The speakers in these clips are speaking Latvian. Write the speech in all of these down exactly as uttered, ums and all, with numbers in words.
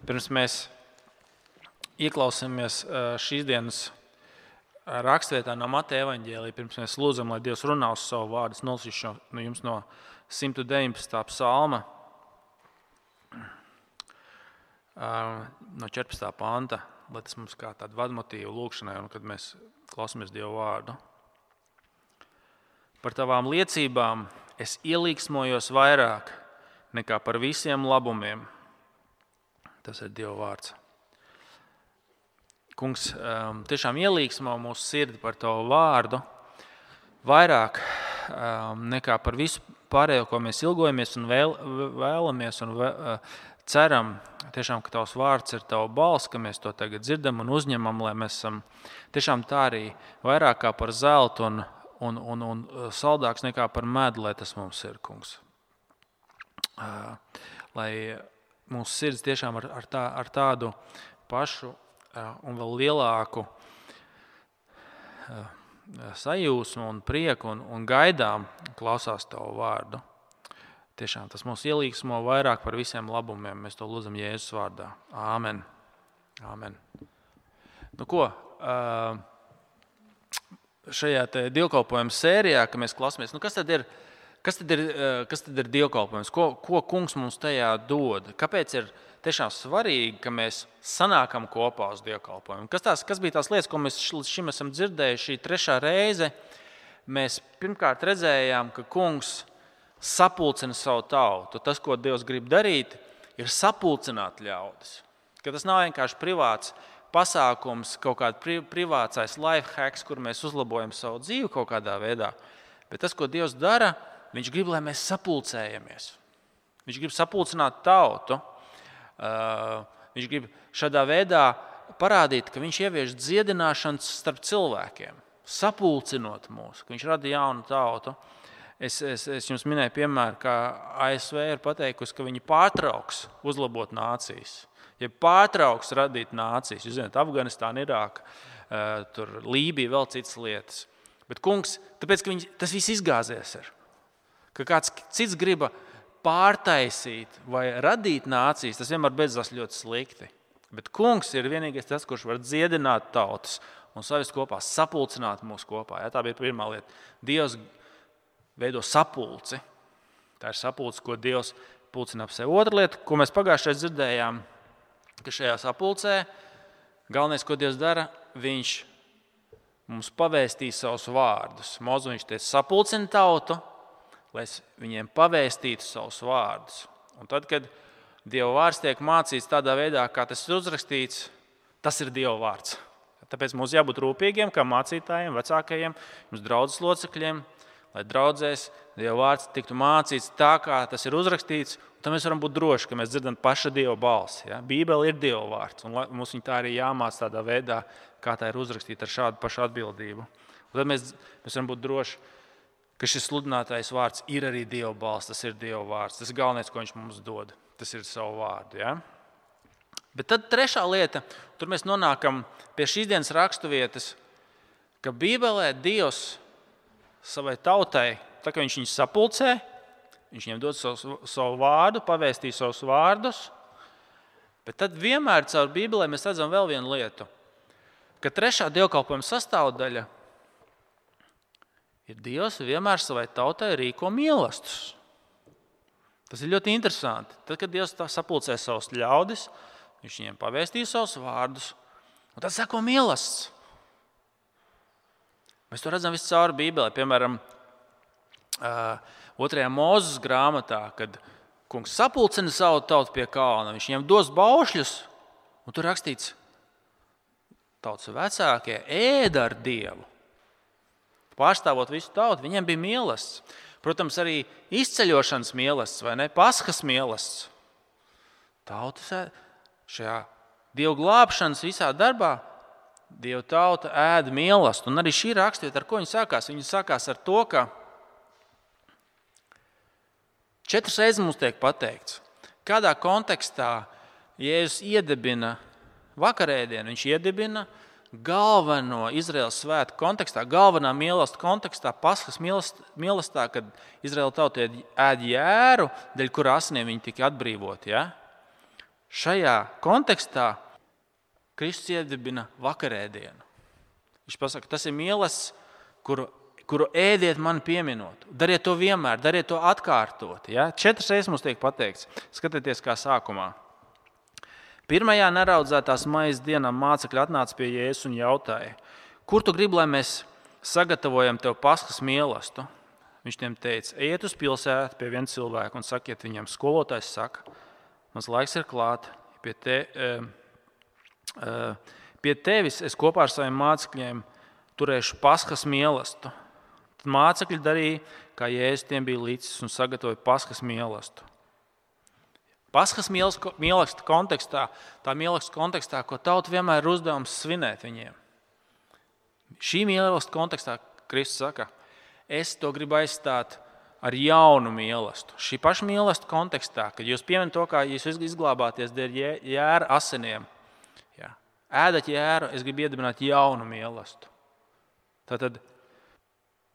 Pirms mēs ieklausāmies šīs dienas rakstvietā no Mateja evaņģēlija, pirms mēs lūdzam, lai Dievs runā uz savu vārdu, es nolasīšu no jums no simt deviņpadsmitā psalma, no četrpadsmitā panta, lai tas mums kā tāda vadmotīva lūkšanai, un kad mēs klausāmies Dievu vārdu. Par tavām liecībām es ielīgsmojos vairāk nekā par visiem labumiem. Tas ir Dieva vārds. Kungs, tiešām ielīgsmo mūsu sirdi par tavu vārdu vairāk nekā par visu pārējo, ko mēs ilgojamies un vēl, vēlamies un vēl, ceram. Tiešām, ka tavs vārds ir tava balss, ka mēs to tagad dzirdam un uzņemam, lai mēs esam tiešām tā arī vairāk kā par zeltu un, un, un, un saldāks nekā par medu, lai tas mums ir, kungs. Lai mūsu sirds tiešām ar, ar, tā, ar tādu pašu un vēl lielāku sajūsmu un prieku un, un gaidām klausās tavu vārdu. Tiešām tas mūs ielīgsmo vairāk par visiem labumiem. Mēs to lūdzam Jēzus vārdā. Āmen. Āmen. Nu ko, šajā te dievkalpojuma sērijā, ka mēs klausāmies, nu kas tad ir, kas tad ir, kas tad ir dievkalpojums? Ko, ko kungs mums tajā dod? Kāpēc ir tiešām svarīgi, ka mēs sanākam kopā uz dievkalpojumu? Kas, tās, kas bija tās lietas, ko mēs līdz šim esam dzirdējuši šī trešā reize? Mēs pirmkārt redzējām, ka kungs sapulcina savu tautu. Tas, ko Dievs grib darīt, ir sapulcināt ļaudis. Ka tas nav vienkārši privāts pasākums, kaut kāds pri, privātais life hacks, kur mēs uzlabojam savu dzīvi kaut kādā veidā. Bet tas, ko Dievs dara, viņš grib, lai mēs sapulcējamies. Viņš grib sapulcināt tautu. Uh, viņš grib šādā veidā parādīt, ka viņš ievieš dziedināšanas starp cilvēkiem, sapulcinot mūs, ka viņš rada jaunu tautu. Es, es, es jums minēju piemēru, ka A S V ir pateikusi, ka viņi pārtrauks uzlabot nācijas. Ja pārtrauks radīt nācijas, jūs zināt, Afganistāna, Irāka, tur Lībija, vēl citas lietas. Bet kungs, tāpēc, ka viņi, tas viss izgāzies ir. Ka kāds cits griba pārtaisīt vai radīt nācijas, tas vienmēr beidzās ļoti slikti. Bet kungs ir vienīgais tas, kurš var dziedināt tautas un savest kopā, sapulcināt mūs kopā. Ja, tā bija pirmā lieta. Dievs veido sapulci. Tā ir sapulce, ko Dievs pulcina ap sevi. Otra lieta, ko mēs pagājušajā dzirdējām, ka šajā sapulcē galvenais, ko Dievs dara, viņš mums pavēstīs savus vārdus. Mozu viņš teica, sapulcina tautu, lai viņiem pavēstītu savus vārdus. Un tad, kad Dieva vārds tiek mācīts tādā veidā, kā tas ir uzrakstīts, tas ir Dieva vārds. Tāpēc mums jābūt rūpīgiem, kā mācītājiem, vecākajiem, mums draudzes locekļiem, lai draudzēs Dieva vārds tiktu mācīts tā, kā tas ir uzrakstīts, un tad mēs varam būt droši, ka mēs dzirdam paša Dieva balsi. Ja? Bībele ir Dieva vārds, un mums viņa tā arī jāmāc tādā veidā, kā tā ir uzrakstīta ar šādu pašu atbildību. Un tad mēs, mēs varam būt droši, ka šis sludinātais vārds ir arī Dieva balss, tas ir Dieva vārds. Tas ir galvenais, ko viņš mums dod. Tas ir savu vārdu. Ja? Bet tad trešā lieta, tur mēs nonākam pie šīs dienas raksturvietas, ka Bībelē Dievs savai tautai, tā kā viņš viņus sapulcē, viņš viņiem dod savu, savu vārdu, pavēstīs savus vārdus, bet tad vienmēr caur Bībelē mēs redzam vēl vienu lietu, ka trešā dievkalpojuma sastāvdaļa ir Dievs vienmēr savai tautai rīko mīlestus. Tas ir ļoti interesanti. Tad, kad Dievs sapulcē savus ļaudis, viņš viņiem pavēstīs savus vārdus, un tad seko mīlestus. Mēs to redzam visu cauri Bībelē. Piemēram, otrajā Mūzes grāmatā, kad kungs sapulcina savu tautu pie kalna, viņš viņiem dos baušļus, un tur rakstīts, tautas vecākie ēda ar Dievu. Pārstāvot visu tautu, viņiem bija mīlestis. Protams, arī izceļošanas mīlestis, vai ne? Paskas mīlestis. Tautas šajā Dievu glābšanas visā darbā Dieva tauta ēda mīlestību. Un arī šī raksturvieta, ar ko viņa sākās? Viņa sākās ar to, ka četras reizes mums tiek pateikts, kādā kontekstā Jēzus iedibina vakarēdienu. Viņš iedibina galveno Izraēlas svētku kontekstā, galvenā mīlestība kontekstā, Paskas mīlestībā, kad Izraēla tauta ēd jēru, dēļ kura asinīm viņi tika atbrīvoti. Ja? šajā kontekstā Kristus iedibina vakarēdienu. Viņš pasaka, tas ir mīlestības, kuru, kuru ēdiet mani pieminot. Dariet to vienmēr, dariet to atkārtot. Ja? Četras reizes mums tiek pateikts. Skatieties, kā sākumā. Pirmajā neraudzētās maizes dienā mācekļi atnāca pie Jēzus un jautāja, kur tu gribi, lai mēs sagatavojam tev Paskas mielastu? Viņš tiem teica, ejiet uz pilsētu pie viena cilvēka un sakiet viņam, skolotājs saka, mans laiks ir klāt, pie, te, uh, pie tevis es kopā ar saviem mācekļiem turēšu Paskas mielastu. Tad mācekļi darīja, kā Jēzus tiem bija līdzis un sagatavoja Paskas mielastu. Paskas mīlestības kontekstā, tā mīlestības kontekstā, ko tauta vienmēr ir uzdevums svinēt viņiem. Šī mīlestības kontekstā Kristus saka, es to gribu aizstāt ar jaunu mīlestību. Šī paša mīlestības kontekstā, kad jūs pieminat to, kā jūs izglābāties dēļ jēra asiniem, jā, ēdat jēru, es gribu iedibināt jaunu mīlestību. Tātad,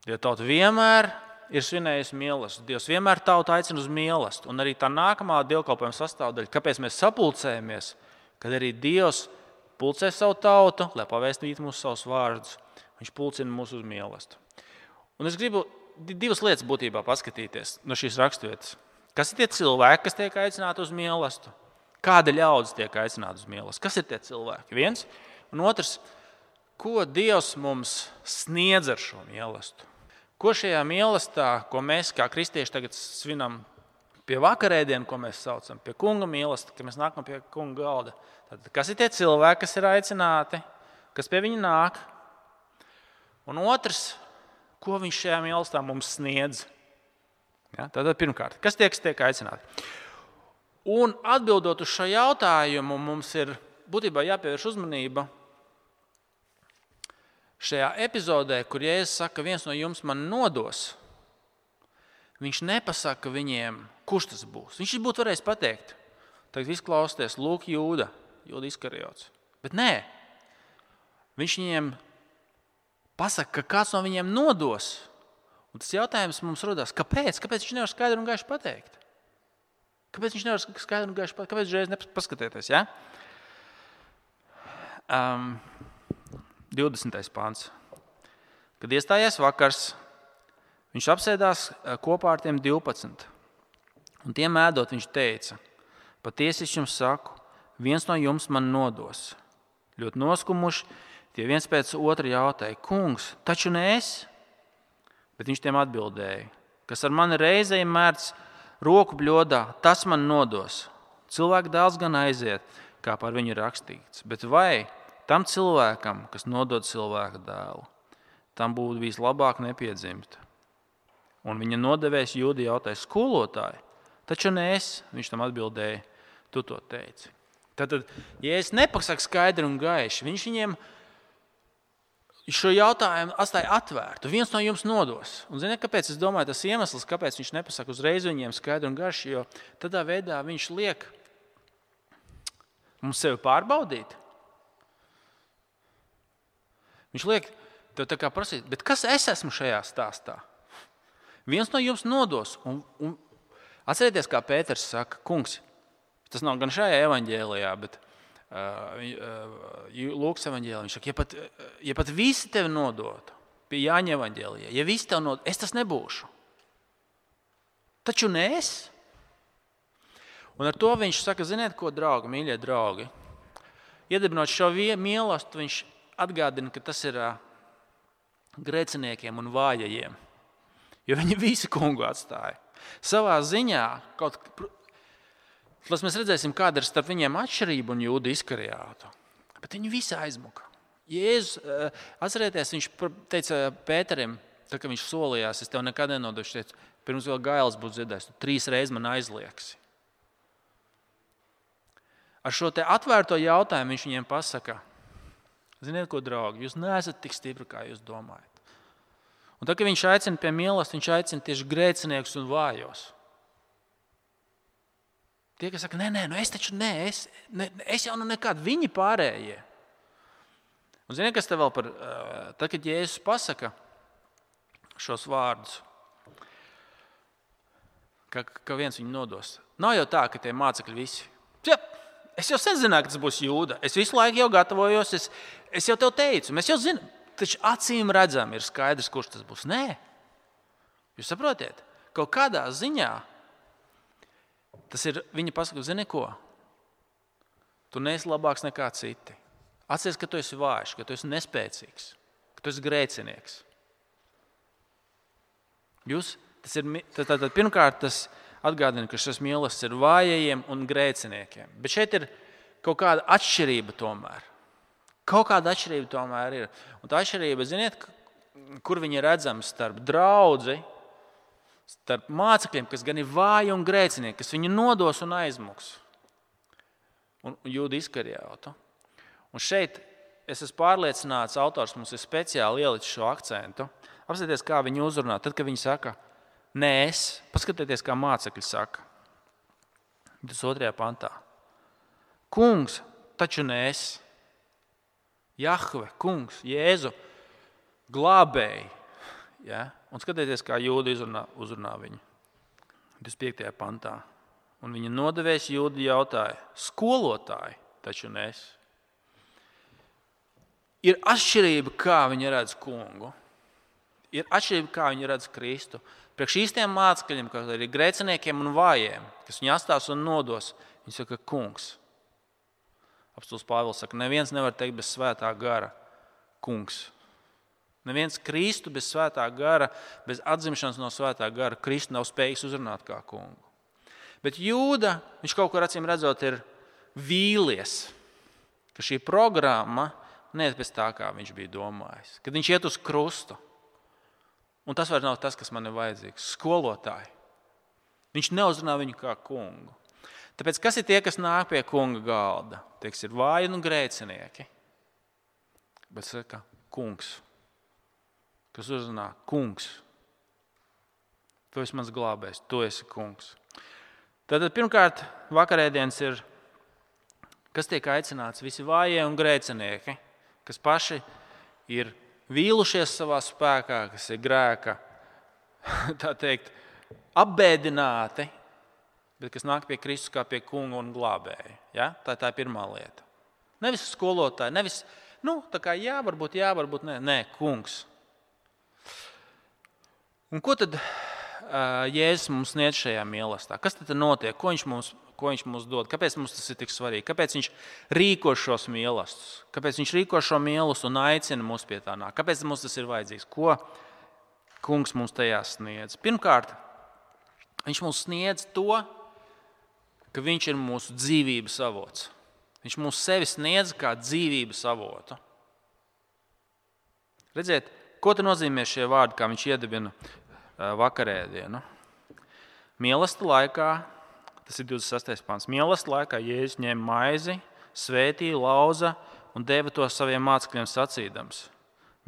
ja tauta vienmēr ir svinējusi mīlestību. Dievs vienmēr tautu aicina uz mīlestību. Un arī tā nākamā dievkalpojuma sastāvdaļa, kāpēc mēs sapulcējamies, kad arī Dievs pulcē savu tautu, lai pavēstītu mūsu savus vārdus. Viņš pulcina mūs uz mīlestību. Un es gribu divas lietas būtībā paskatīties no šīs raksturvietas. Kas ir tie cilvēki, kas tiek aicināti uz mīlestību? Kāda ļaudis tiek aicināta uz mīlestību? Kas ir tie cilvēki? Viens. Un otrs, ko Dievs mums sniedz ar šo mīlestību? Ko šajā mīlestībā, ko mēs kā kristieši tagad svinam pie vakarēdienu, ko mēs saucam pie kunga mīlestību, kad mēs nākam pie kunga galda? Tad, kas ir tie cilvēki, kas ir aicināti, kas pie viņa nāk? Un otrs, ko viņš šajā mīlestībā mums sniedz? Ja, tātad pirmkārt, kas tie, kas tiek aicināti? Un atbildot uz šo jautājumu, mums ir būtībā jāpievērš uzmanība šajā epizodē, kur Jēzus saka, viens no jums man nodos, viņš nepasaka viņiem, kurš tas būs. Viņš būtu varējis pateikt, tagad izklausties, lūk, Jūda, Jūda Iskariots. Bet nē, viņš viņiem pasaka, ka kāds no viņiem nodos. Un tas jautājums mums rodās, kāpēc? Kāpēc viņš nevar skaidri un gaiši pateikt? Kāpēc viņš nevar skaidri un gaiši pateikt? Kāpēc reiz nepaskatieties? Ja? Um, divdesmitais pants. Kad iestājās vakars, viņš apsēdās kopā ar tiem divpadsmit. Un tiem ēdot, viņš teica, patiesi es jums saku, viens no jums man nodos. Ļoti noskumuši, tie viens pēc otra jautāja, kungs, taču ne es? Bet viņš tiem atbildēja, kas ar mani reizēm mērts roku bļodā, tas man nodos. Cilvēku dēls gan aiziet, kā par viņu rakstīts, bet vai tam cilvēkam, kas nodod cilvēka dēlu, tam būtu vislabāk nepiedzimt. Un viņa nodevējs Jūda jautāja, skolotāji, taču ne es, viņš tam atbildēja, tu to teici. Tātad, ja es nepasaka skaidri un gaiši, viņš viņiem šo jautājumu atstāja atvērtu. Viens no jums nodos. Un ziniet, kāpēc? Es domāju, tas iemesls, kāpēc viņš nepasaka uzreiz viņiem skaidri un gaiši, jo tādā veidā viņš liek mums sevi pārbaudīt. Viņš liek tev tā kā prasīt, bet kas es esmu šajā stāstā? Viens no jums nodos. Un, un atcerieties, kā Pēters saka, kungs, tas nav gan šajā evaņģēlijā, bet uh, uh, Lūkas evaņģēlijā. Viņš saka, ja pat, ja pat visi tevi nodotu, pie Jāņa evaņģēlijā, ja visi tevi nodotu, es tas nebūšu. Taču ne es. Un ar to viņš saka, ziniet, ko, draugi, mīļie draugi, iedibinot šo mīlestību, viņš atgādina, ka tas ir uh, grēciniekiem un vājajiem. Jo viņi visi kungu atstāja. Savā ziņā, kaut, lai mēs redzēsim, kāda ir starp viņiem atšķirība un Jūda Iskarijotu. Bet viņi visi aizmuka. Jēzus, uh, atcerieties, viņš teica Pēterim, tā, ka viņš solījās, es tev nekad nenodošu, teicu, pirms vēl gailes būtu dziedājis, tu trīs reizes man aizliegsi. Ar šo te atvērto jautājumu viņš viņiem pasaka, ziniet, ko, draugi, jūs neesat tik stipri, kā jūs domājat. Un tad, kad viņš aicina pie mīlestības, viņš aicina tieši grēciniekus un vājos. Tie, kas saka, nē, nē, nu es taču nē, es, ne, es jau nu nekād, viņi pārējie. Un ziniet, kas te vēl par, tad, kad Jēzus pasaka šos vārdus, ka, ka viens viņu nodos. Nav jau tā, ka tie mācekļi visi, jep, Es jau sen zināju, ka tas būs Jūda. Es visu laiku jau gatavojos, es, es jau tev teicu, mēs jau zinām, taču acīm redzam, ir skaidrs, kurš tas būs. Nē, jūs saprotiet, kaut kādā ziņā tas ir viņa pasaka, zini ko? Tu neesi labāks nekā citi. Atceries, ka tu esi vājš, ka tu esi nespēcīgs, ka tu esi grēcinieks. Jūs, tas ir, tad, tad, pirmkārt, tas atgādina, ka šis mīlestības ir vājajiem un grēciniekiem. Bet šeit ir kaut kāda atšķirība tomēr. Kaut kāda atšķirība tomēr ir. Un tā atšķirība, ziniet, kur viņi ir redzami starp draudzi, starp mācekļiem, kas gan ir vāji un grēcinieki, kas viņu nodos un aizmuks. Un Jūda Iskarijautu. Un šeit es esmu pārliecināts, autors mums ir speciāli ielicis šo akcentu. Apskatieties, kā viņi uzrunā. Tad, kad viņi saka, nē, es, paskatieties, kā mācekļi saka. Tas otrajā pantā. Kungs, taču ne es. Jahve, kungs, Jēzu, glābēji. Ja? Un skatieties, kā Jūda uzrunā, uzrunā viņu. divdesmit piektajā pantā. Un viņa nodevējs Jūda jautāja, skolotāji, taču ne es. Ir atšķirība, kā viņi redz kungu. Ir atšķirība, kā viņi redz Kristu. Priekš īstiem mācekļiem, kas ir grēciniekiem un vājiem, kas viņu atstās un nodos, viņi saka, kungs. Apostūlis Pāvils saka, neviens nevar teikt bez svētā gara, kungs. Neviens Kristu bez svētā gara, bez atzimšanas no svētā gara, Kristu nav spējīgs uzrunāt kā kungu. Bet Jūda, viņš kaut kur acīm redzot, ir vīlies, ka šī programma neiet pēc tā, kā viņš bija domājis. Kad viņš iet uz krustu. Un tas vairs nav tas, kas man ir vajadzīgs. Skolotāji. Viņš neuzrunā viņu kā kungu. Tāpēc kas ir tie, kas nāk pie kunga galda? Tie, kas ir vāji un grēcinieki. Bet saka, kungs. Kas uzrunā, kungs. Tu esi mans glābējs, tu esi kungs. Tātad pirmkārt, vakarēdienas ir, kas tiek aicināts, visi vājie un grēcinieki, kas paši ir vīlušies savā spēkā, kas ir grēka, tā teikt, apbēdināti, bet kas nāk pie Kristus kā pie kunga un glābēja. Ja? Tā, tā ir pirmā lieta. Nevis skolotāji, nevis, nu, tā kā jā, varbūt jā, varbūt nē, nē, kungs. Un ko tad uh, Jēzus mums sniedz šajā mīlestībā? Kas tad notiek? Ko viņš mums Ko viņš mums dod? Kāpēc mums tas ir tik svarīgi? Kāpēc viņš rīko šos mīlestus? Kāpēc viņš rīko šo mīlestību un aicina mūs pie tā nāk? Kāpēc mums tas ir vajadzīgs? Ko kungs mums tajā sniedz? Pirmkārt, viņš mums sniedz to, ka viņš ir mūsu dzīvības avots. Viņš mums sevi sniedz kā dzīvības avotu. Redziet, ko te nozīmē šie vārdi, kā viņš iedibina vakarēdienu? Mīlestības laikā, tas ir divdesmit sestais pants. Mīlestības laikā Jēzus ņēma maizi, svētīja, lauza un deva to saviem mācekļiem sacīdams.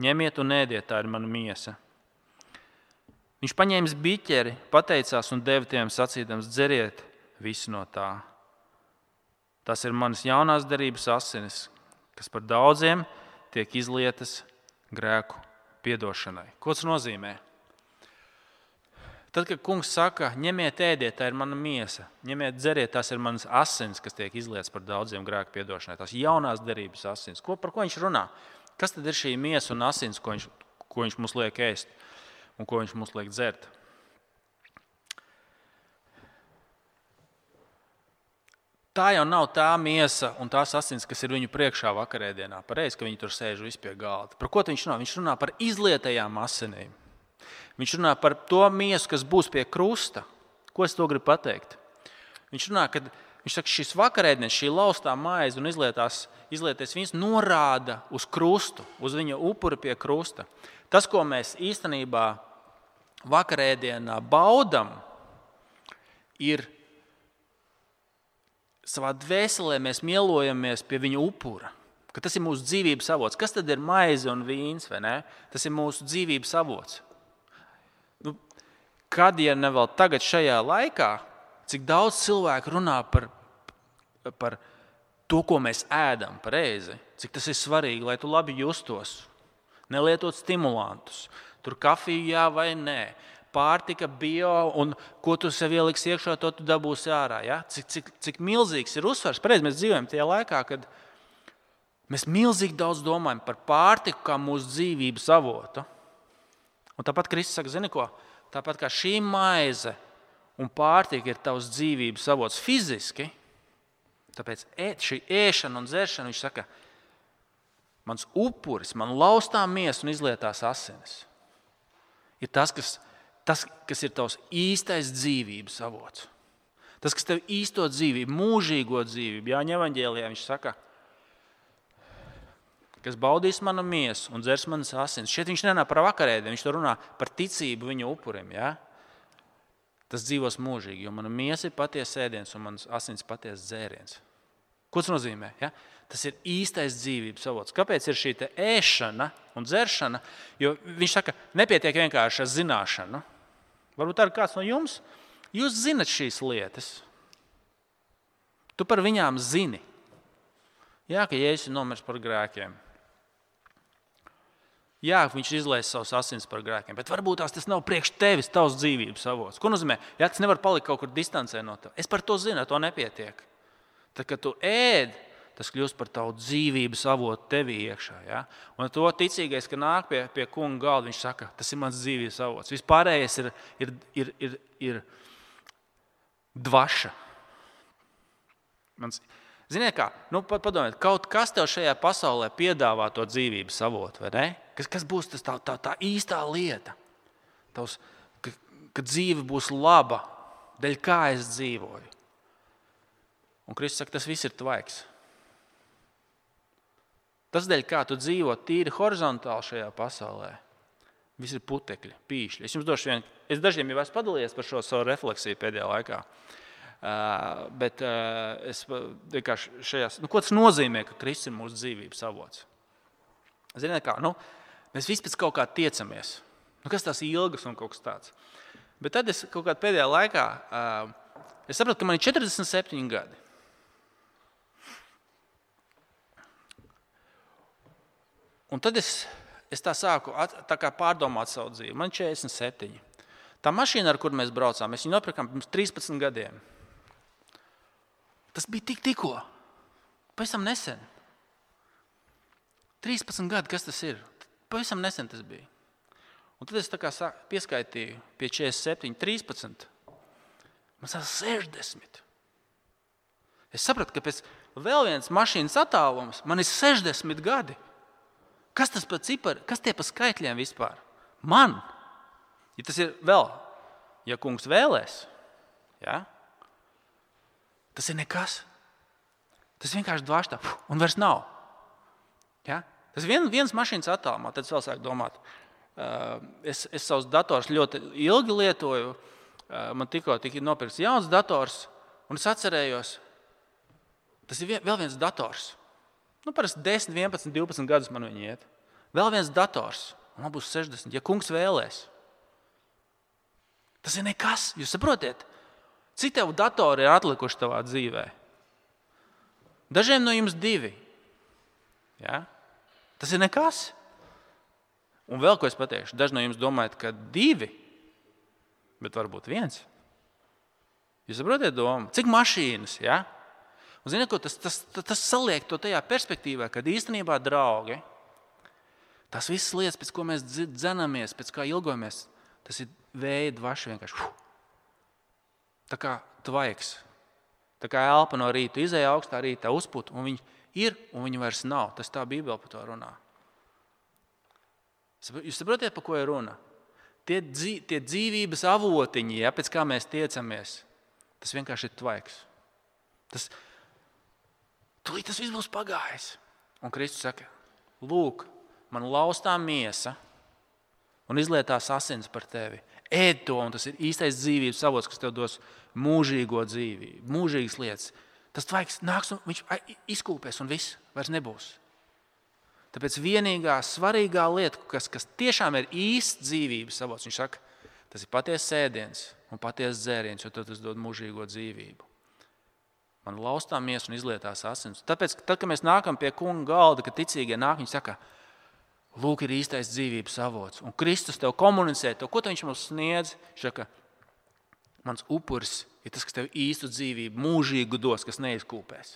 Ņemiet un ēdiet, tā ir mana miesa. Viņš paņēma biķeri, pateicās un deva tiem sacīdams, dzeriet visi no tā. Tas ir manas jaunās derības asinis, kas par daudziem tiek izlietas grēku piedošanai. Ko tas nozīmē? Tad, kad kungs saka, ņemiet, ēdiet, tā ir mana miesa, ņemiet, dzeriet, tās ir manas asins, kas tiek izlietas par daudziem grēku piedošanai, tās jaunās derības asins. Ko, par ko viņš runā? Kas tad ir šī miesa un asins, ko viņš, ko viņš mums liek ēst un ko viņš mums liek dzert? Tā jau nav tā miesa un tās asins, kas ir viņu priekšā vakarēdienā. Pareizi, ka viņi tur sēž visi pie galda. Par ko viņš runā? Viņš runā par izlietajām asinīm. Viņš runā par to miesu, kas būs pie krusta. Ko es to gribu pateikt? Viņš runā, ka viņš saka, šis vakarēdienis, šī laustā maize un izlietās, izlietais viņas norāda uz krustu, uz viņa upuri pie krusta. Tas, ko mēs īstenībā vakarēdienā baudam, ir savā dvēselē mēs mielojamies pie viņa upura. Ka tas ir mūsu dzīvības avots. Kas tad ir maize un vīns, vai ne? Tas ir mūsu dzīvības avots. Nu, kad, ja ne vēl tagad šajā laikā, cik daudz cilvēku runā par, par to, ko mēs ēdam pareizi, cik tas ir svarīgi, lai tu labi justos, nelietot stimulantus, tur kafiju jā vai nē, pārtika, bio, un ko tu sev ieliksi iekšā, to tu dabūsi ārā. Ja? Cik, cik, cik milzīgs ir uzsvars. Pareizi, mēs dzīvojam tajā laikā, kad mēs milzīgi daudz domājam par pārtiku kā mūsu dzīvības avotu. Un tāpat Kristus saka, zini ko? Tāpat kā šī maize un pārtika ir tavs dzīvības avots fiziski, tāpēc šī ēšana un dzeršana, viņš saka, mans upuris, man laustā miesa un izlietās asinis, ir tas, kas, tas, kas ir tavs īstais dzīvības avots. Tas, kas tev īsto dzīvību, mūžīgo dzīvību, Jāņa evaņģēlijā viņš saka, kas baudīs manu miesu un dzers manas asins. Šeit viņš nenāk par vakarēdienu, viņš to runā par ticību viņa upurim. Ja? Tas dzīvos mūžīgi, jo mana miesa ir patiesa ēdiens un manas asins patiesa dzēriens. Ko tas nozīmē? Ja? Tas ir īstais dzīvības avots. Kāpēc ir šī te ēšana un dzeršana? Jo viņš saka, nepietiek vienkārši ar zināšanu. Varbūt arī kāds no jums, jūs zinat šīs lietas. Tu par viņām zini. Jā, ka Jēzus ir nomiris par grēkiem. Jā, viņš izlaiž savus asins par grēkiem, bet varbūt tās tas nav priekš tevis, tavs dzīvības avots. Ko nozīmē? Jā, tas nevar palikt kaut kur distancē no tev. Es par to zinu, to nepietiek. Tad, kad tu ēd, tas kļūst par tavu dzīvības avotu tevī iekšā. Ja? Un to ticīgais, ka nāk pie, pie kunga galda, viņš saka, tas ir mans dzīvības avots. Vispārējais ir, ir, ir, ir, ir dvaša. Mans, ziniet kā, nu, padomājiet, kaut kas tev šajā pasaulē piedāvā to dzīvības avotu, vai ne? Kas, kas būs tas tā, tā, tā īstā lieta? Tavs, ka, ka dzīve būs laba, dēļ kā es dzīvoju. Un Kristus saka, tas viss ir tvaiks. Tas dēļ kā tu dzīvo tīri horizontāli šajā pasaulē. Viss ir putekļi, pīšļi. Es jums došu vienu, es dažiem jau esmu padalījies par šo savu refleksiju pēdējā laikā. Uh, bet uh, es vienkārši šajās, nu, ko tas nozīmē, ka Kristus ir mūsu dzīvības avots? Ziniet kā, nu, mēs visi pēc kaut kā tiecamies. Nu, kas tās ilgas un kaut kas tāds. Bet tad es kaut kādā pēdējā laikā, uh, es sapratu, ka man ir četrdesmit septiņi gadi. Un tad es, es tā sāku at, tā kā pārdomāt savu dzīvi. Man ir četrdesmit septiņi. Tā mašīna, ar kur mēs braucām, mēs viņu nopirkām pirms trīspadsmit gadiem. Tas bija tik tikko, pavisam nesen. trīspadsmit gadi, kas tas ir? Pavisam nesen tas bija. Un tad es tā kā pieskaitīju pie četrdesmit septiņi, trīspadsmit. Man sāk sešdesmit. Es sapratu, ka pēc vēl viens mašīnas attālums man ir sešdesmit gadi. Kas tas par cipari? Kas tie par skaitļiem vispār? Man. Ja tas ir vēl, ja kungs vēlēs, ja? Tas ir nekas. Tas vienkārši dvāštā, un vairs nav. Ja? Tas ir vien, viens mašīnas attālumā, tad es vēl sāku domāt. Es, es savus dators ļoti ilgi lietoju. Man tikko tika nopirkts jauns dators, un es atcerējos, tas ir vēl viens dators. Nu, parasti desmit, vienpadsmit, divpadsmit gadus man viņi iet. Vēl viens dators, un man būs sešdesmit, ja kungs vēlēs. Tas ir nekas, jūs saprotiet? Cik tev datori ir atlikuši tavā dzīvē? Dažiem no jums divi. Ja? Tas ir nekas. Un vēl ko es pateikšu, daži no jums domājat, ka divi, bet varbūt viens. Jūs saprotiet domu? Cik mašīnas, ja? Un ziniet, ko tas, tas, tas, tas saliek to tajā perspektīvā, kad īstenībā, draugi, tās visas lietas, pēc ko mēs dzenamies, pēc kā ilgojamies, tas ir vēja dvaša vienkārši. Tā kā tvaiks. Tā kā elpa no rīta izēja augstā rītā uzput, un viņi ir, un viņi vairs nav. Tas tā Bībele par to runā. Jūs saprotiet, par ko ir runa? Tie, dzīv, tie dzīvības avotiņi, ja, pēc kā mēs tiecamies, tas vienkārši ir tvaiks. Tas, tūlīt tas viss būs pagājis. Un Kristus saka, lūk, man laustā miesa un izlietās asins par tevi. Ēd to, un tas ir īstais dzīvības avots, kas tev dos mūžīgo dzīvību, mūžīgas lietas. Tas tvaiks nāks un viņš izkūpēs un viss vairs nebūs. Tāpēc vienīgā svarīgā lieta, kas, kas tiešām ir īsts dzīvības avots, viņš saka, tas ir patiesas ēdiens un patiesas dzēriens, jo tas dod mūžīgo dzīvību. Man laustā miesa un izlietās asins. Tāpēc, tad, kad mēs nākam pie kunga galda, kad ticīgie nāk, viņi saka, Lūk, ir īstais dzīvības avots. Un Kristus tev komunicē to, ko viņš mums sniedz. Viņš saka, mans upuris ir tas, kas tev īstu dzīvību, mūžīgu dos, kas neizkūpēs.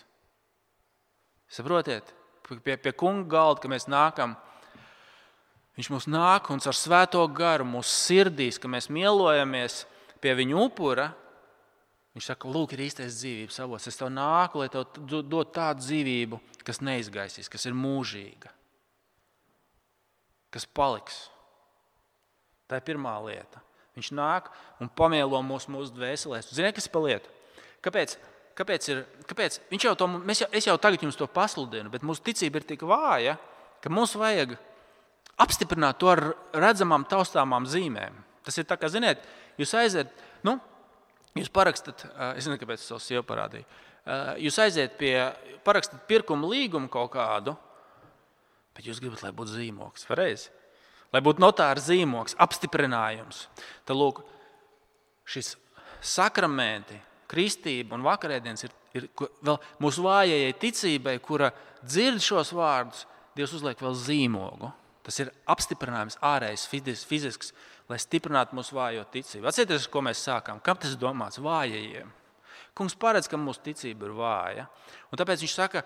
Saprotiet? Pie, pie kunga galda, ka mēs nākam, viņš mums nāk un ar svēto garu mūsu sirdīs, ka mēs mielojamies pie viņa upura. Viņš saka, lūk, ir īstais dzīvības avots. Es tev nāku, lai tev dod tādu dzīvību, kas neizgaisīs, kas ir mūžīga. Kas paliks. Tā ir pirmā lieta. Viņš nāk un pamielo mūsu, mūsu dvēselēs. Ziniet, kas ir pa lietu? Kāpēc? Kāpēc ir, kāpēc? Viņš jau to, mēs jau, es jau tagad jums to pasludinu, bet mūsu ticība ir tik vāja, ka mums vajag apstiprināt to ar redzamām, taustāmām zīmēm. Tas ir tā, kā, ziniet, jūs aiziet, nu, jūs parakstat, es nezinu, kāpēc es savu sievu parādīju, jūs aiziet pie, parakstat pirkuma līgumu kaut kādu, bet jūs gribat, lai būtu zīmoks, pareizi? Lai būtu notāra zīmoks, apstiprinājums. Tad, lūk, šis sakramenti, kristība un vakarēdienas ir, ir vēl mūsu vājajai ticībai, kura dzird šos vārdus, Dievs uzliek vēl zīmogu. Tas ir apstiprinājums ārējais, fizisks, lai stiprinātu mūsu vājo ticību. Atcerieties, ko mēs sākām. Kam tas ir domāts? Vājajiem. Kungs paredz, ka mūsu ticība ir vāja. Un tāpēc viņš saka,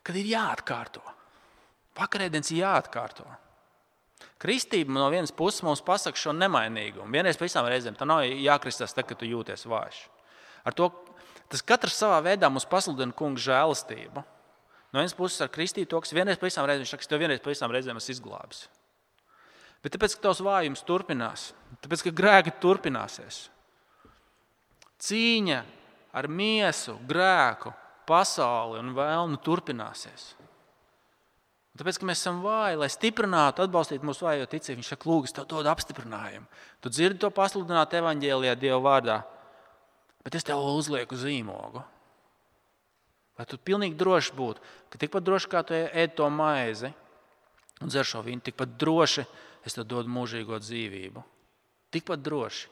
ka ir jāatkārto. Vakarēdienas ir jāatkārto. Kristība no vienas puses mums pasaka šo nemainīgumu. Vienreiz pa visām reizēm. Tā nav jākristās tad, kad tu jūties vājš. Ar to, tas katrs savā veidā mums pasludina kunga žēlastību. No vienas puses ar kristību to, kas vienreiz pa visām reizēm, viņš saka, ka tev vienreiz pa visām reizēm esi izglābis. Bet tāpēc, ka tavs vājums turpinās, tāpēc, ka grēki turpināsies. Cīņa ar miesu, grēku, pasauli un vēlnu turpināsies. Tāpēc, ka mēs esam vāji, lai stiprinātu, atbalstītu mūsu vājo ticību, viņš saka, lūk, es tev dodu apstiprinājumu. Tu dzirdi to pasludināt evaņģēlijā Dieva vārdā, bet es tev uzlieku zīmogu. Lai tu pilnīgi droši būtu, ka tikpat droši, kā tu ēd to maizi un dzer šo vīnu, tikpat droši es tev dodu mūžīgo dzīvību. Tikpat droši.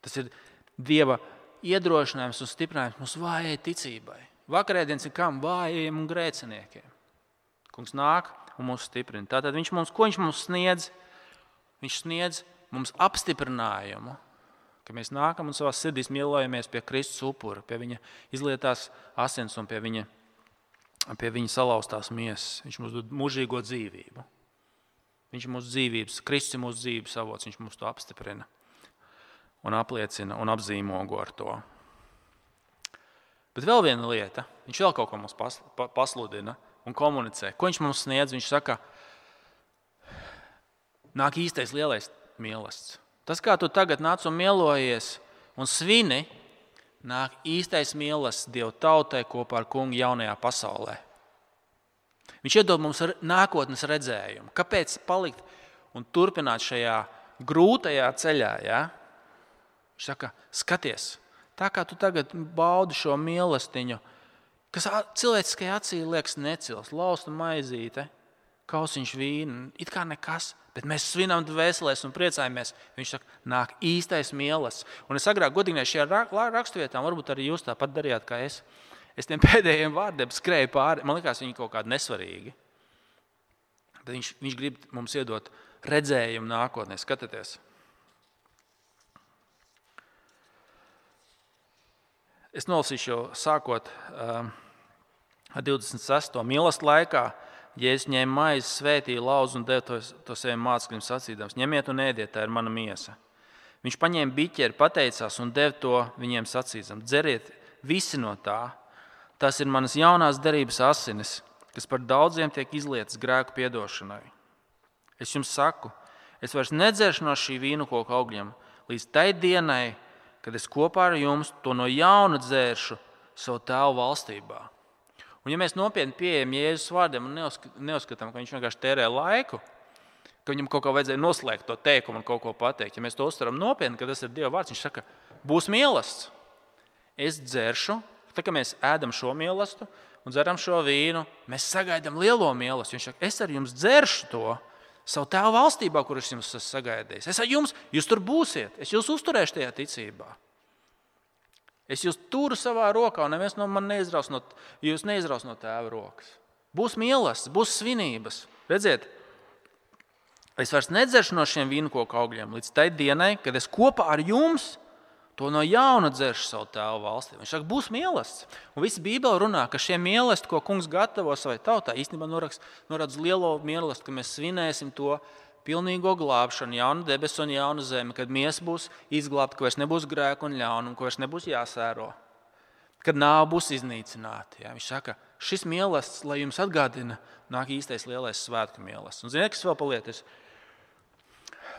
Tas ir Dieva iedrošinājums un stiprinājums mūsu vājai ticībai. Vakarēdienas ir kam? Vājajiem un grēciniekiem. Kungs nāk un mūs stiprina. Tātad viņš mums, ko viņš mums sniedz? Viņš sniedz mums apstiprinājumu, ka mēs nākam un savās sirdīs mielojamies pie Kristus upura, pie viņa izlietās asins un pie viņa, pie viņa salauztās miesas. Viņš mums dod mūžīgo dzīvību. Viņš ir mūsu dzīvības, Kristus ir mūsu dzīvības avots, viņš mums to apstiprina un apliecina un apzīmogo ar to. Bet vēl viena lieta, viņš vēl kaut ko mums pasludina un komunicē. Ko viņš mums sniedz? Viņš saka, nāk īstais lielais mīlestība. Tas, kā tu tagad nāc un mielojies un svini, nāk īstais mīlestība Dieva tautai kopā ar kungu jaunajā pasaulē. Viņš iedod mums nākotnes redzējumu. Kāpēc palikt un turpināt šajā grūtajā ceļā? Ja? Viņš saka, skaties, tā kā tu tagad baudi šo mīlestiņu, kas cilvēciskajā acī liekas necils, lausta maizīte, kausiņš vīna, it kā nekas, bet mēs svinam dvēselēs un priecājamies. Viņš saka, nāk īstais mīlestības. Un es agrāk godīgi šajā raksturvietām, varbūt arī jūs tāpat darījāt kā es, es tiem pēdējiem vārdiem skrēju pāri, man likās viņi kaut kādi nesvarīgi. Bet viņš, viņš grib mums iedot redzējumu nākotnē, skatieties. Es nolasīšu jau sākot um, ar divdesmit sesto mīlestības laikā, Jēzus ņēma maizi, svētīja, lauza un deva to, to saviem mācekļiem sacīdams. Ņemiet un ēdiet, tā ir mana miesa. Viņš paņēma biķeri, pateicās un deva to viņiem sacīdams. Dzeriet visi no tā. Tas ir manas jaunās derības asinis, kas par daudziem tiek izlietas grēku piedošanai. Es jums saku, es vairs nedzeršu no šī vīnokoka augļiem līdz tai dienai, kad es kopā ar jums to no jauna dzēršu savu tēvu valstībā. Un ja mēs nopietni pieejam Jēzus vārdiem un neuzskatām, ka viņš vienkārši tērē laiku, ka viņam kaut kā vajadzēja noslēgt to teikumu un kaut ko pateikt, ja mēs to uztveram nopietni, ka tas ir Dieva vārds, viņš saka, būs mīlestība. Es dzeršu, tā kā mēs ēdam šo mīlestību un dzeram šo vīnu, mēs sagaidām lielo mīlestību. Viņš saka, es ar jums dzeršu to savu tēvu valstībā, kur es jums esmu sagaidījis. Es ar jums, jūs tur būsiet, es jūs uzturēšu tajā ticībā. Es jūs turu savā rokā, un neviens no man neizraus no, jūs neizraus no tēva rokas. Būs mīlestības, būs svinības. Redziet, es vairs nedzeršu no šiem vīnkoku augļiem līdz tai dienai, kad es kopā ar jums to no jauna dzeršu savu tēvu valstī. Viņš saka, būs mīlestības. Un visa Bībele runā, ka šie mīlestības, ko kungs gatavo savai tautai, īstenībā norāda uz lielo mīlestību, ka mēs svinēsim to pilnīgo glābšanu, jaunu debesu un jaunu zemi, kad miesa būs izglābta, ka vairs nebūs grēku un ļaunumu, ka vairs nebūs jāsēro, kad nāve būs iznīcināta. Ja? Viņš saka, šis mīlestības, lai jums atgādina, nāk īstais lielais svētku mīlestības. Un ziniet, kas vēl palietis?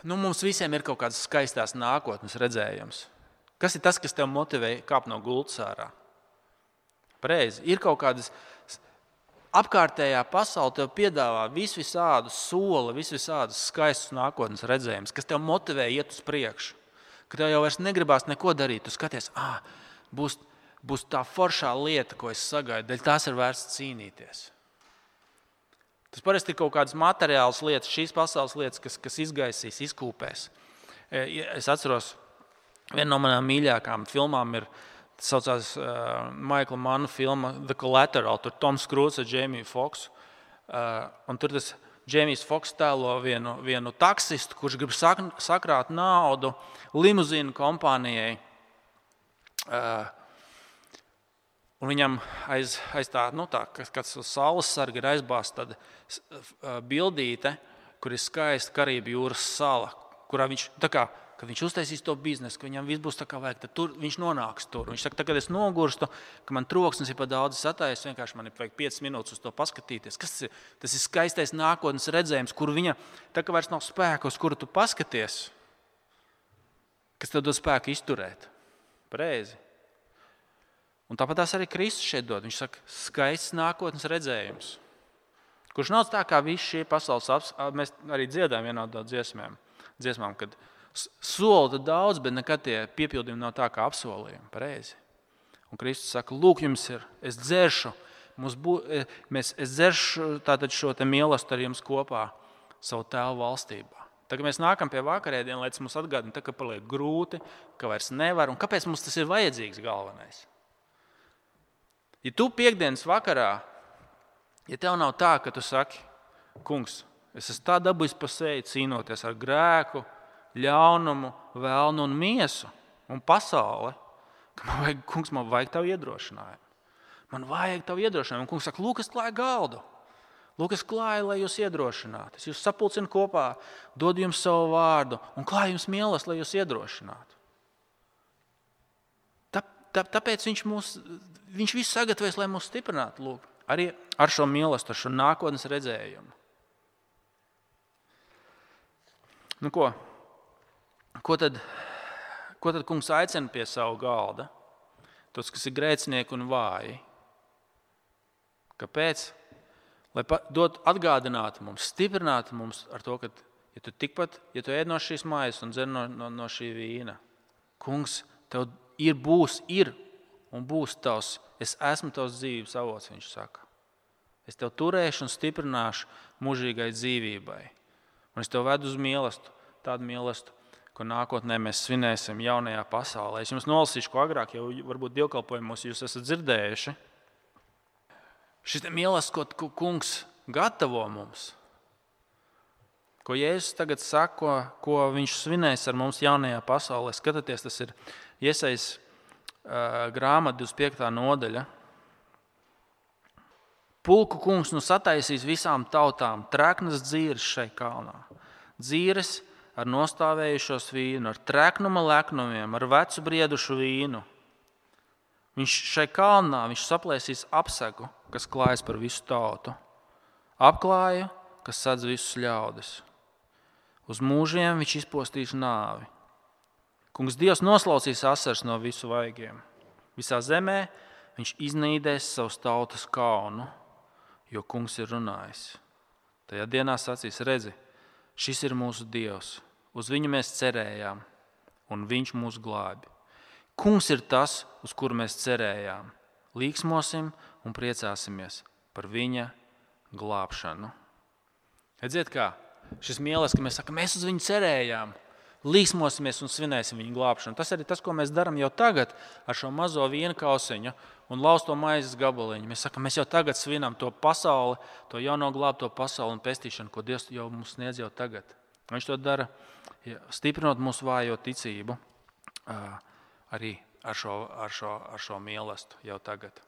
Nu, mums visiem ir kaut kādas skaistās nākotnes redzējums. Kas ir tas, kas tev motivē kāpt no gultas ārā? Pareizi. Ir kaut kādas apkārtējā pasaule tev piedāvā vis visādus soli, vis visādus skaistus nākotnes redzējumus, kas tev motivē iet uz priekšu. Ka tev jau vairs negribās neko darīt. Tu skaties, ah, būs, būs tā foršā lieta, ko es sagaidu, dēļ tās ir vērts cīnīties. Tas parasti ir kaut kādas materiālas lietas, šīs pasaules lietas, kas, kas izgaisīs, izkūpēs. Es atceros, viena no manām mīļākām filmām ir, tas saucās uh, Maikla Manna filma The Collateral, tur Toms Cruise ar Jamie Foxxu. Uh, un tur tas Jamijs Foxx tēlo vienu, vienu taksistu, kurš grib sak, sakrāt naudu limuzīnu kompānijai. Uh, un viņam aiz, aiz tā, nu tā, kāds saules sarga ir aizbāzt tāda uh, bildīte, kur ir skaista Karību jūras sala, kurā viņš, tā kā, kad viņš uztaisīs to biznesu, ka viņam viss būs tā kā vajag, tad tur, viņš nonāks tur. Viņš saka, tā, kad es nogurstu, ka man troksnis ir pa daudz satais, vienkārši man ir vajag piecas minūtes uz to paskatīties. Kas tas ir? Tas ir skaistais nākotnes redzējums, kur viņa, tā kā vairs nav spēka, uz kuru tu paskaties, kas tev dod spēku izturēt. Pareizi. Un tāpat tās arī Kristus šeit dod. Viņš saka, skaists nākotnes redzējums, kurš nav tā kā visi šie pasaules aps, mēs arī dziedājam vienā no dziesmām, dziesmām, kad sola daudz, bet nekad tie piepildījumi nav tā kā apsolījumi. Pareizi. Un Kristus saka, lūk, jums ir, es dzeršu, mums bū, mēs, es dzeršu tātad šo te mīlestību ar jums kopā savu tēvu valstībā. Tagad mēs nākam pie vakarēdienu, lai tas mums atgādina, ka paliek grūti, ka vairs nevar, un kāpēc mums tas ir vajadzīgs galvenais? Ja tu piekdienas vakarā, ja tev nav tā, ka tu saki, kungs, es esmu tā dabūjis pa seju cīnoties ar grēku, ļaunumu, vēlnu un miesu un pasauli, ka man vajag, kungs, man vajag tavu iedrošinājumu. Man vajag tavu iedrošinājumu. Un kungs saka, lūk, es klāju galdu. Lūk, es klāju, lai jūs iedrošinātu. Es jūs sapulcinu kopā, dodu jums savu vārdu un klāju jums mīlestību, lai jūs iedrošinātu. Tā, tā, tāpēc viņš, mūs, viņš visu sagatavojas, lai mūs stiprinātu. Lūk, arī ar šo mīlestību, ar šo nākotnes redzējumu. Nu ko? Ko tad, ko tad kungs aicina pie savu galda? Tos, kas ir grēcinieki un vāji. Kāpēc? Lai dot atgādinātu mums, stiprinātu mums ar to, ka ja tu tikpat, ja tu ēd no šīs mājas un dzer no, no, no šī vīna, kungs, tev ir, būs, ir un būs tavs, es esmu tavs dzīvības avots, viņš saka. Es tev turēšu un stiprināšu mūžīgai dzīvībai. Un es tev vedu uz mīlestību, tādu mīlestību, ko nākotnē mēs svinēsim jaunajā pasaulē. Es jums nolasīšu, ko agrāk jau varbūt dievkalpojumos jūs esat dzirdējuši. Šis mīlestības, ko kungs gatavo mums, ko Jēzus tagad saka, ko, ko viņš svinēs ar mums jaunajā pasaulē. Skatieties, tas ir Iesajas uh, grāmata divdesmit piektā nodaļa. Pulku kungs nu sataisīs visām tautām treknas dzīres šai kalnā. Dzīres ar nostāvējušos vīnu, ar treknuma leknumiem, ar vecu briedušu vīnu. Viņš šai kalnā viņš saplēsīs apsegu, kas klājas par visu tautu. Apklāju, kas sadz visus ļaudis. Uz mūžiem viņš izpostīs nāvi. Kungs Dievs noslaucīs asars no visu vaigiem. Visā zemē viņš iznīdēs savus tautas kaunu, jo kungs ir runājis. Tajā dienā sacīs, redzi, šis ir mūsu Dievs. Uz viņu mēs cerējām, un viņš mūs glābi. Kungs ir tas, uz kuru mēs cerējām. Līksmosim un priecāsimies par viņa glābšanu. Redziet kā, šis mīlestības, ka mēs sakam, mēs uz viņu cerējām. līksmosimies un svinēsim viņa glābšanu. Tas arī tas, ko mēs darām jau tagad ar šo mazo vienu kausiņu un lausto maizes gabaliņu. Mēs sakām, mēs jau tagad svinam to pasauli, to jauno glābto pasauli un pestīšanu, ko Dievs jau mums sniedz jau tagad. Viņš to dara, stiprinot mūsu vājo ticību arī ar šo, ar šo, ar šo mīlestību jau tagad.